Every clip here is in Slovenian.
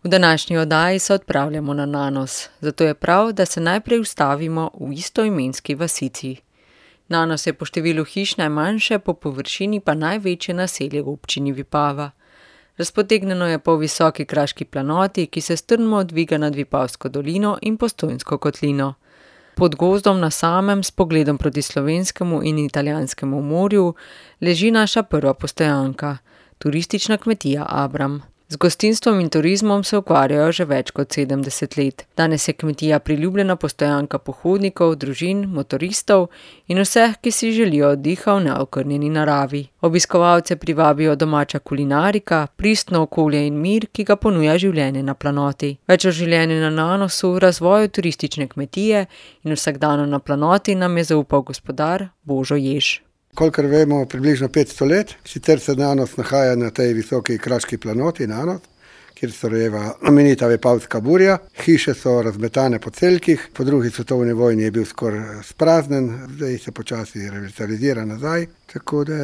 V današnji oddaji se odpravljamo na Nanos, zato je prav, da se najprej ustavimo v istoimenski vasici. Nanos je po številu hiš najmanjše, po površini pa največje naselje v občini Vipava. Razpotegnjeno je po visoki kraški planoti, ki se strmo dviga nad Vipavsko dolino in Postojnsko kotlino. Pod gozdom na samem, s pogledom proti slovenskemu in italijanskemu morju, leži naša prva postojanka, turistična kmetija Abram. Z gostinstvom in turizmom se ukvarjajo že več kot 70 let. Danes je kmetija priljubljena postojanka pohodnikov, družin, motoristov in vseh, ki si želijo oddiha v neokrnjeni naravi. Obiskovalce privabijo domača kulinarika, pristno okolje in mir, ki ga ponuja življenje na planoti. Več o življenju na Nanosu, razvoju turistične kmetije in vsakdanu na planoti nam je zaupal gospodar Božo Jež. Kolikor vemo, približno 500 let, sicer se Nanos nahaja na tej visoki kraški planoti Nanos, kjer se rojeva imenita Vipavska burja. Hiše so razmetane po celkih, po drugi svetovni vojni je bil skoraj spraznen, zdaj se počasi revitalizira nazaj, tako da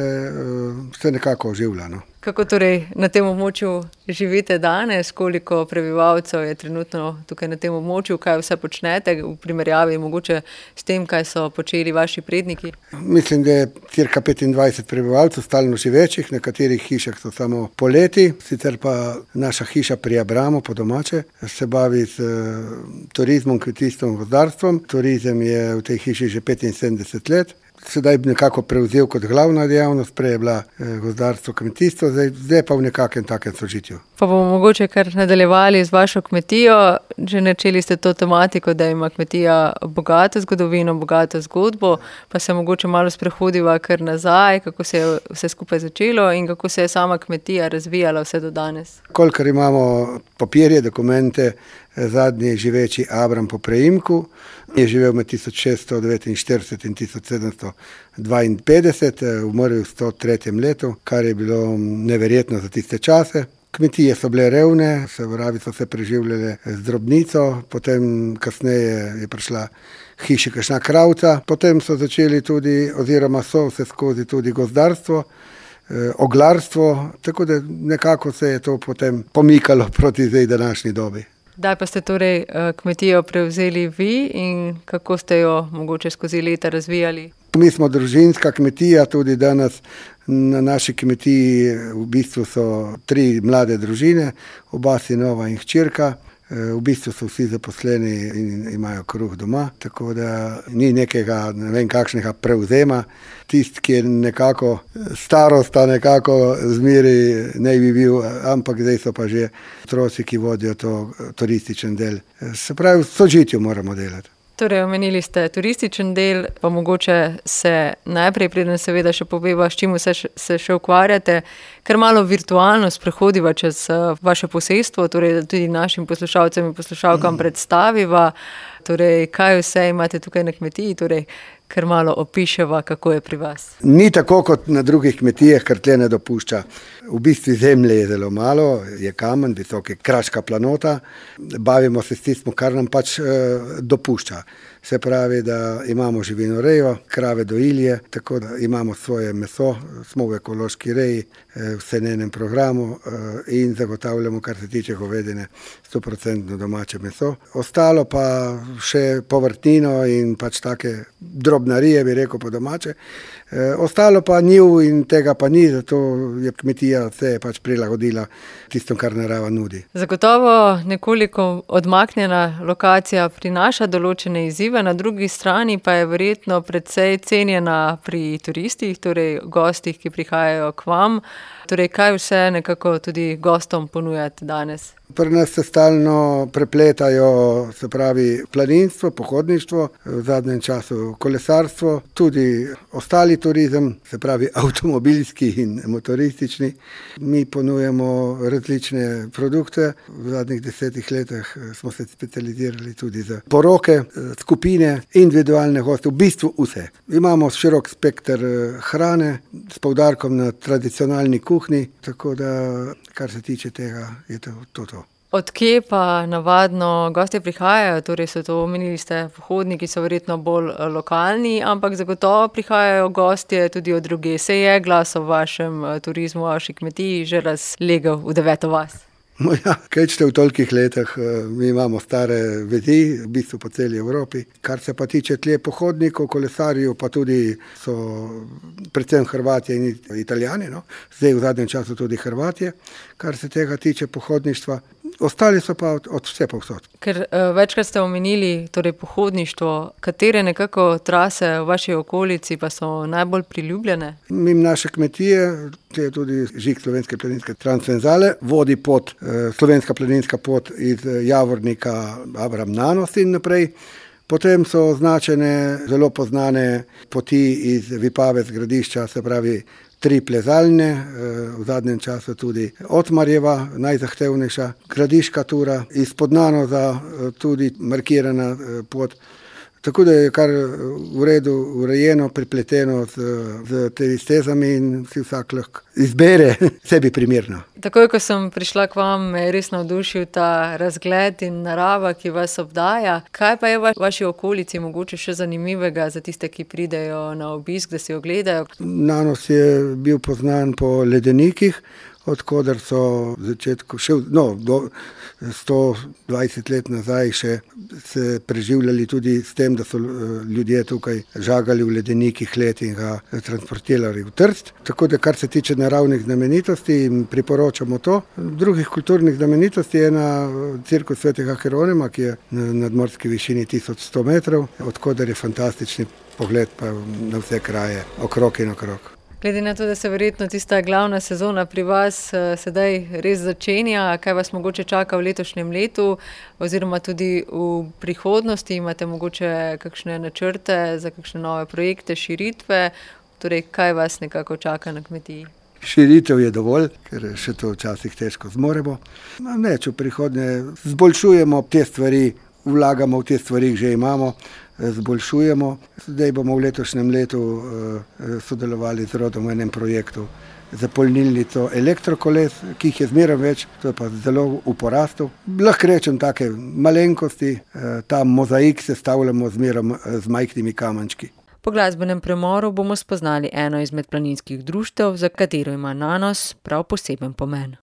se nekako oživlja. Kako torej na tem območju živite danes, koliko prebivalcev je trenutno tukaj na tem območju, kaj vse počnete v primerjavi mogoče s tem, kaj so počeli vaši predniki? Mislim, da je cirka 25 prebivalcev stalno živečih, na katerih hišah so samo poleti, sicer pa naša hiša pri Abramu po domače se bavi z turizmom, kmetijstvom, gozdarstvom. Turizem je v tej hiši že 75 let. Sedaj bi nekako prevzel kot glavna dejavnost, prej je bila gozdarstvo, kmetijstvo, zdaj pa v nekakšnem takem sožitju. Pa bomo mogoče kar nadaljevali z vašo kmetijo. Že načeli ste to tematiko, da ima kmetija bogato zgodovino, bogato zgodbo, pa se mogoče malo sprehodiva kar nazaj, kako se je vse skupaj začelo in kako se je sama kmetija razvijala vse do danes. Kolikor imamo papirje, dokumente, zadnji živeči Abram po preimku je živel med 1649 in 1752, umrl v 103. letu, kar je bilo neverjetno za tiste čase. Kmetije so bile revne, se pravi, so se preživljale z drobnico, potem kasneje je prišla hiši kakšna kravca, potem so začeli tudi, oziroma so vse skozi tudi gozdarstvo, oglarstvo, tako da nekako se je to potem pomikalo proti zdaj današnji dobi. Kdaj pa ste torej kmetijo prevzeli vi in kako ste jo mogoče skozi leta razvijali? Mi smo družinska kmetija, tudi danes na naši kmetiji v bistvu so 3 mlade družine, oba sinova in hčerka. V bistvu so vsi zaposleni in imajo kruh doma, tako da ni nekega, ne vem kakšnega prevzema. Tisti, ki je nekako starosta, nekako zmeri ne bi bil, ampak zdaj so pa že otroci, ki vodijo to turističen del. Se pravi, v sožitju moramo delati. Torej, omenili ste turističen del, pa mogoče se najprej, preden seveda še poveva, s čim se še ukvarjate, ker malo virtualno sprehodiva čez vaše posestvo, torej tudi našim poslušalcem in poslušalkam predstaviva, torej kaj vse imate tukaj na kmetiji, torej ker malo opiševa, kako je pri vas. Ni tako kot na drugih kmetijah, ker tle ne dopušča. V bistvu zemlje je zelo malo, je kamen, visoka kraška planota. Bavimo se s tistim, kar nam pač dopušča. Se pravi, da imamo živinorejo, krave dojilje, tako da imamo svoje meso, smo v ekološki reji, v senenem programu in zagotavljamo, kar se tiče govedine, 100% domače meso. Ostalo pa še povrtnino in pač take drobnarije, bi rekel po domače. Ostalo pa njiv in tega pa ni, zato je kmetija se pač prilagodila tistom, kar narava nudi. Zagotovo nekoliko odmaknjena lokacija prinaša določene izzive, na drugi strani pa je verjetno precej cenjena pri turistih, torej gostih, ki prihajajo k vam. Torej, kaj vse nekako tudi gostom ponujate danes? Pri nas se stalno prepletajo, se pravi, planinstvo, pohodništvo, v zadnjem času kolesarstvo, tudi ostali turizem, se pravi avtomobilski in motoristični. Mi ponujemo različne produkte. V zadnjih 10 letih smo se specializirali tudi za poroke, skupine, individualne goste, v bistvu vse. Imamo širok spekter hrane s poudarkom na tradicionalni kuhinji, tako da, kar se tiče tega, je to. Od kje pa navadno gostje prihajajo? Torej so to, omenili ste, pohodniki so verjetno bolj lokalni, ampak zagotovo prihajajo gostje tudi od drugje. Se je glas o vašem turizmu, o vaši kmetiji že razlegel v 9. vas? Ja, kaj če v tolikih letih, mi imamo stare vezi, v bistvu po celi Evropi. Kar se pa tiče tle pohodnikov, kolesarjev, pa tudi so predvsem Hrvatje in Italijani, no. Zdaj v zadnjem času tudi Hrvatje, kar se tega tiče pohodništva. Ostali so pa od vse povsod. Ker večkrat ste omenili torej pohodništvo, katere nekako trase v vaši okolici pa so najbolj priljubljene? Mimo naše kmetije, to je tudi žig Slovenske planinske transverzale, vodi pot, slovenska planinska pot iz Javornika, Abraham Nanos in naprej. Potem so označene zelo poznane poti iz Vipave z Gradišča, se pravi 3 plezalne, v zadnjem času tudi Otmarjeva, najzahtevnejša, Gradiška tura, izpod Nanoza tudi markirana pot. Tako da je kar v redu urejeno, pripleteno z temi stezami in si vsak lahko izbere sebi primerno. Takoj, ko sem prišla k vam, me je res navdušil ta razgled in narava, ki vas obdaja. Kaj pa je v vaši okolici mogoče še zanimivega za tiste, ki pridejo na obisk, da si ogledajo? Nanos je bil poznan po ledenikih, odkoder so v začetku do 120 let nazaj še se preživljali tudi s tem, da so ljudje tukaj žagali v ledenikih led in ga transportirali v Trst. Tako da kar se tiče naravnih znamenitosti, jim priporočamo to. Drugih kulturnih znamenitosti je na cirkus Svetega Hieronima, ki je na nadmorski višini 1100 metrov, odkoder je fantastični pogled pa na vse kraje okrog in okrog. Glede na to, da se verjetno tista glavna sezona pri vas sedaj res začenja, kaj vas mogoče čaka v letošnjem letu oziroma tudi v prihodnosti, imate mogoče kakšne načrte za kakšne nove projekte, širitve, torej kaj vas nekako čaka na kmetiji? Širitev je dovolj, ker še to včasih težko zmoremo. Neč v prihodnje zboljšujemo te stvari, vlagamo v te stvari, že imamo, zboljšujemo. Zdaj bomo v letošnjem letu sodelovali z rodom v enem projektu za polnilnico elektrokoles, ki jih je zmeraj več, to je pa zelo v porastu. Lahko rečem take malenkosti, ta mozaik sestavljamo zmeraj z majhnimi kamenčki. Po glasbenem premoru bomo spoznali eno izmed planinskih društev, za katero ima Nanos prav poseben pomen.